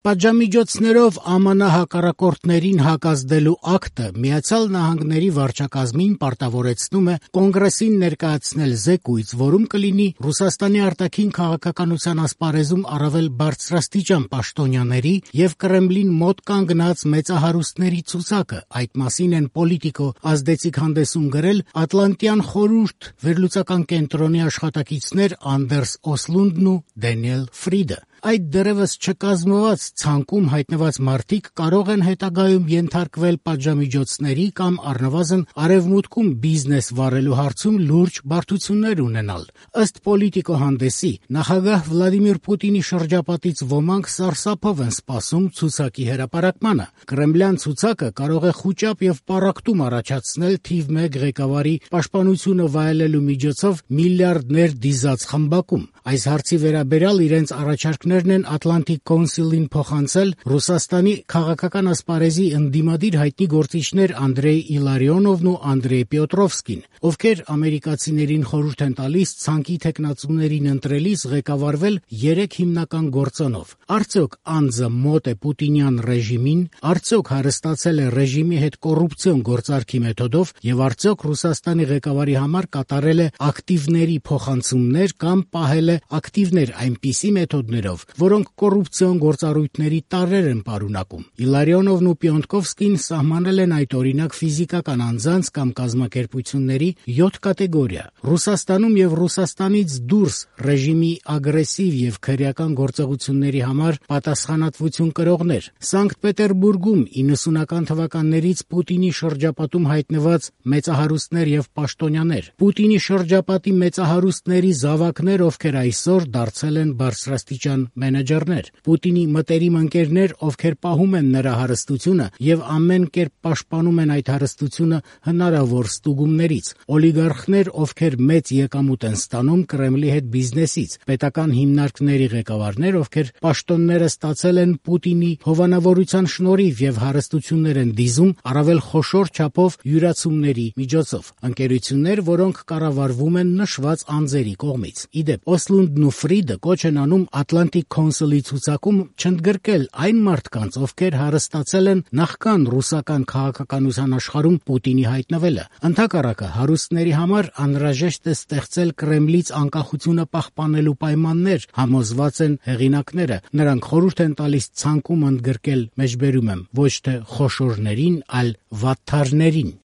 Պատժամիջոցներով ԱՄՆ հակառակորդներին հակազդելու ակտը Միացյալ Նահանգների վարչակազմին պարտավորեցնում է Կոնգրեսին ներկայացնել զեկույց, որում կլինի Ռուսաստանի արտաքին քաղաքականության ասպարեզում առավել բարձրաստիճան պաշտոնյաների եւ Կրեմլին մոտ կանգնած մեծահարուստների ցուցակը։ Այդ մասին են Պոլիտիկո ազդեցիկ հանդեսում գրել Ատլանտյան խորհուրդ վերլուծական կենտրոնի աշխատակիցներ Անդերս Օսլունդն ու Դենիել Ֆրիդը։ Այդ դեռևս չկազմված ցանկում հայտնված մարդիկ կարող են հետագայում ենթարկվել պատժամիջոցների կամ առնվազն արևմուտքում բիզնես վարելու հարցում լուրջ բարդություններ ունենալ։ Ըստ Պոլիտիկո հանդեսի, նախագահ Վլադիմիր Պուտինի շրջապատից ոմանք սարսափով են սպասում ցուցակի հրապարակմանը։ Կրեմլյան ցուցակը կարող է խուճապ եւ պառակտում առաջացնել թիվ 1 ղեկավարի պաշտպանությունը վայելելու միջոցով միլիարդներ դիզած խմբակում։ Այս հարցի վերաբերյալ իրենց առաջարկներն են Atlantic Council-ին փոխանցել Ռուսաստանի քաղաքական ասպարեզի ընդդիմադիր հայտնի գործիչներ Անդրեյ Իլարիոնովն ու Անդրեյ Պյոտրովսկին, ովքեր ամերիկացիներին խորհուրդ են տալիս ցանկի թեկնածուներին ընտրելիս ղեկավարվել 3 հիմնական գործոնով։ Արդյոք անձը մոտ է պուտինյան ռեժիմին, արդյոք հարստացել է ռեժիմի հետ կոռուպցիոն գործարքի մեթոդով եւ արդյոք Ռուսաստանի ղեկավարի համար կատարել է ակտիվների փոխանցումներ կամ պահել է ակտիվներ այնպիսի մեթոդներով, որոնք կոռուպցիոն գործառույթների տարրեր են պարունակում։ Իլարիոնովն ու Պյոնտկովսկին սահմանել են այդ օրինակ ֆիզիկական անձանց կամ կազմակերպությունների 7 կատեգորիա։ Ռուսաստանում եւ Ռուսաստանից դուրս ռեժիմի ագրեսիվ եւ քրեական գործողությունների համար պատասխանատվություն կրողներ։ Սանկտ Պետերբուրգում 90-ական թվականներից Պուտինի շրջապատում հայտնված մեծահարուստներ եւ պաշտոնյաներ։ Պուտինի շրջապատի մեծահարուստների զավակներ, ովքեր այսօր դարձել են բարձրաստիճան մենեջերներ։ Պուտինի մտերիմ ընկերներ, ովքեր պահում են նրա հարստությունը եւ ամեն կերպ պաշտպանում են այդ հարստությունը հնարավոր ստուգումներից։ Օլիգարխներ, ովքեր մեծ եկամուտ են ստանում Կրեմլի հետ բիզնեսից։ Պետական հիմնարկների ղեկավարներ, ովքեր պաշտոնները ստացել են Պուտինի հովանավորության շնորհիվ եւ հարստություններ են դիզում առավել խոշոր չափով յուրացումների միջոցով։ Ընկերություններ, որոնք կառավարվում են նշված անձերի կողմից։ Իդեպ Օսլունդն ու Ֆրիդը կոչ են անում Atlantic Council-ի ցուցակում չընդգրկել այն մարդկանց, ովքեր հարստացել են նախքան ռուսական քաղաքականության աշխարհում Պուտինի հայտնվելը։ Ընդհակառակը, հարուստների համար անհրաժեշտ է ստեղծել Կրեմլից անկախությունը պահպանելու պայմաններ, համոզված են հեղինակները։ Նրանք խորհուրդ են տալիս ցանկում ընդգրկել, մեջբերում եմ, ոչ թե խոշորներին, այլ վատթարներին։